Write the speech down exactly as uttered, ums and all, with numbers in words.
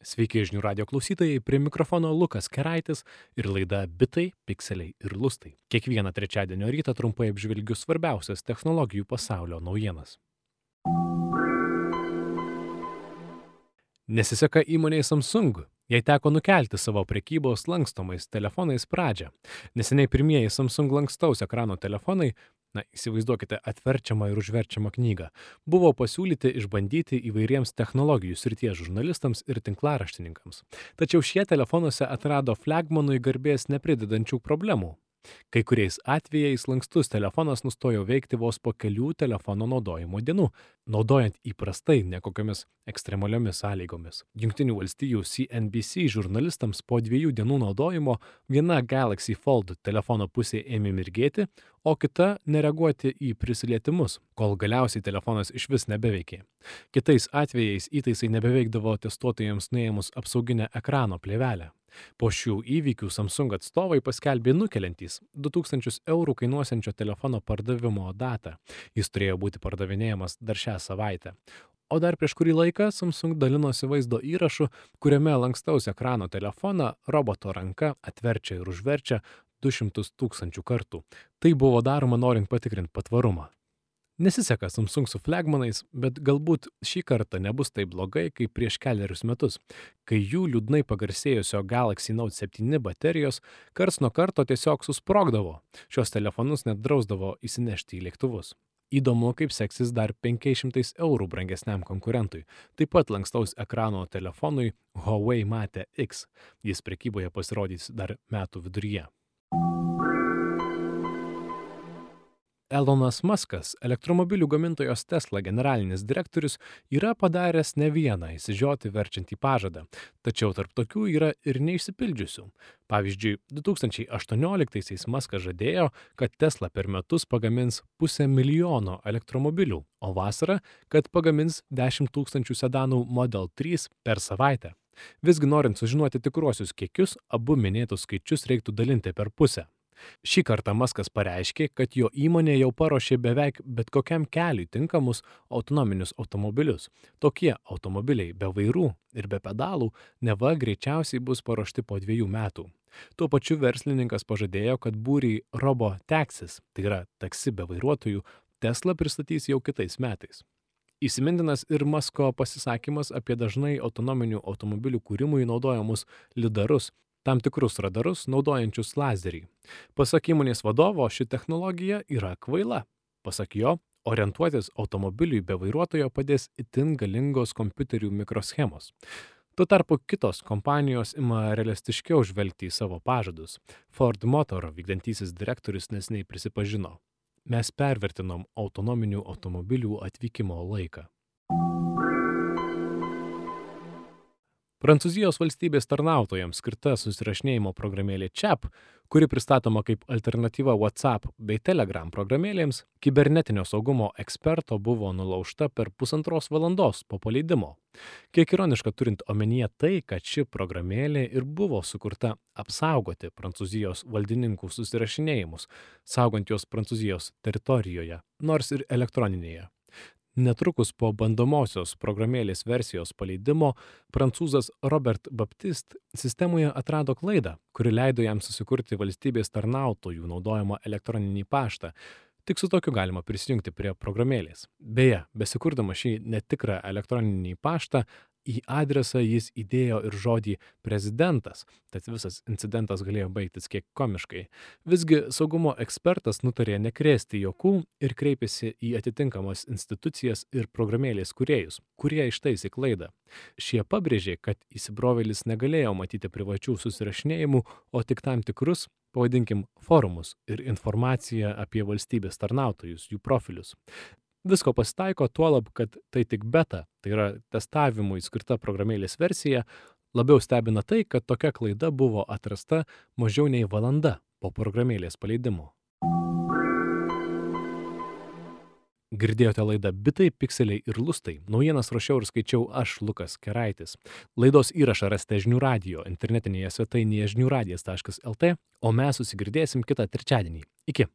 Sveiki žinių radio klausytojai, prie mikrofono Lukas Keraitis ir laida Bitai, Pikseliai ir Lustai. Kiekvieną trečiadienio rytą trumpai apžvelgiu svarbiausias technologijų pasaulio naujienas. Nesiseka įmonei Samsung. Jai teko nukelti savo prekybos lankstomais telefonais pradžią. Neseniai pirmieji Samsung lankstaus ekrano telefonai, na, įsivaizduokite atverčiamą ir užverčiamą knygą, buvo pasiūlyti išbandyti įvairiems technologijų srities žurnalistams ir tinklaraštininkams. Tačiau šie telefonuose atrado flagmanui garbės nepridedančių problemų. Kai kuriais atvejais lankstus telefonas nustojo veikti vos po kelių telefono naudojimo dienų, naudojant įprastai nekokiamis ekstremaliomis sąlygomis. Jungtinių valstijų C N B C žurnalistams po dviejų dienų naudojimo viena Galaxy Fold telefono pusė ėmė mirgėti, o kita nereaguoti į prisilietimus, kol galiausiai telefonas išvis nebeveikė. Kitais atvejais įtaisai nebeveikdavo testuotojams nuėmus apsauginę ekrano plėvelę. Po šių įvykių Samsung atstovai paskelbė nukeliantys du tūkstančius eurų kainuosiančio telefono pardavimo datą. Jis turėjo būti pardavinėjamas dar šią savaitę. O dar prieš kurį laiką Samsung dalinosi vaizdo įrašu, kuriame lankstaus ekrano telefoną roboto ranka atverčia ir užverčia du šimtus tūkstančių kartų. Tai buvo daroma norint patikrinti patvarumą. Nesiseka Samsung su flagmanais, bet galbūt šį kartą nebus taip blogai kaip prieš keliarius metus, kai jų liūdnai pagarsėjusio Galaxy Note septyni baterijos karts nuo karto tiesiog susprogdavo. Šios telefonus net drausdavo įsinešti į lėktuvus. Įdomu, kaip seksis dar penkiais šimtais eurų brangesniam konkurentui, taip pat lankstaus ekrano telefonui Huawei Mate X. Jis prekyboje pasirodys dar metų viduryje. Elonas Muskas, elektromobilių gamintojos Tesla generalinis direktorius, yra padaręs ne vieną išsižioti verčiantį pažadą, tačiau tarp tokių yra ir neišsipildžiusių. Pavyzdžiui, du tūkstančiai aštuonioliktaisiais Muskas žadėjo, kad Tesla per metus pagamins pusę milijono elektromobilių, o vasarą, kad pagamins dešimt tūkstančių sedanų Model trys per savaitę. Visgi norint sužinoti tikruosius kiekius, abu minėtus skaičius reiktų dalinti per pusę. Šį kartą Muskas pareiškė, kad jo įmonė jau paruošė beveik bet kokiam keliui tinkamus autonominius automobilius. Tokie automobiliai be vairų ir be pedalų neva greičiausiai bus paruošti po dviejų metų. Tuo pačiu verslininkas pažadėjo, kad būrį robotaxis, tai yra taksi be vairuotojų, Tesla pristatys jau kitais metais. Įsimintinas ir Musko pasisakymas apie dažnai autonominių automobilių kūrimui naudojamus lidarus, tam tikrus radarus naudojančius lazerį. Pasak įmonės vadovo, ši technologija yra kvaila. Pasak jo, orientuotis automobiliui be vairuotojo padės itin galingos kompiuterių mikroschemos. Tuo tarpu kitos kompanijos ima realistiškiau žvelgti į savo pažadus. Ford Motor vykdantysis direktorius neseniai prisipažino: mes pervertinom autonominių automobilių atvykimo laiką. Prancūzijos valstybės tarnautojams skirta susirašinėjimo programėlė Chat, kuri pristatoma kaip alternatyva WhatsApp bei Telegram programėlėms, kibernetinio saugumo eksperto buvo nulaužta per pusantros valandos po paleidimo. Kiek ironiška turint omenyje tai, kad ši programėlė ir buvo sukurta apsaugoti Prancūzijos valdininkų susirašinėjimus, saugant juos Prancūzijos teritorijoje, nors ir elektroninėje. Netrukus po bandomosios programėlės versijos paleidimo, prancūzas Robert Baptiste sistemoje atrado klaidą, kuri leido jam susikurti valstybės tarnautojų naudojamą elektroninį paštą. Tik su tokiu galima prisijungti prie programėlės. Beje, besikurdama šį netikrą elektroninį paštą, į adresą jis įdėjo ir žodį prezidentas, tad visas incidentas galėjo baigtis kiek komiškai. Visgi saugumo ekspertas nutarė nekrėsti juokų ir kreipėsi į atitinkamas institucijas ir programėlės kūrėjus, kurie ištaisė klaidą. Šie pabrėžė, kad įsibrovėlis negalėjo matyti privačių susirašinėjimų, o tik tam tikrus, pavadinkim, forumus ir informaciją apie valstybės tarnautojus, jų profilius. Visko pasitaiko tuolab, kad tai tik beta, tai yra testavimui skirta programėlės versija. Labiau stebina tai, kad tokia klaida buvo atrasta mažiau nei valanda po programėlės paleidimo. Girdėjote laidą Bitai, Pikseliai ir Lustai. Naujienas rašiau ir skaičiau aš, Lukas Keraitis. Laidos įrašą rasite žinių radijo internetinėje svetainėje žinių radijas taškas lt, o mes susigirdėsim kitą trečiadienį. Iki.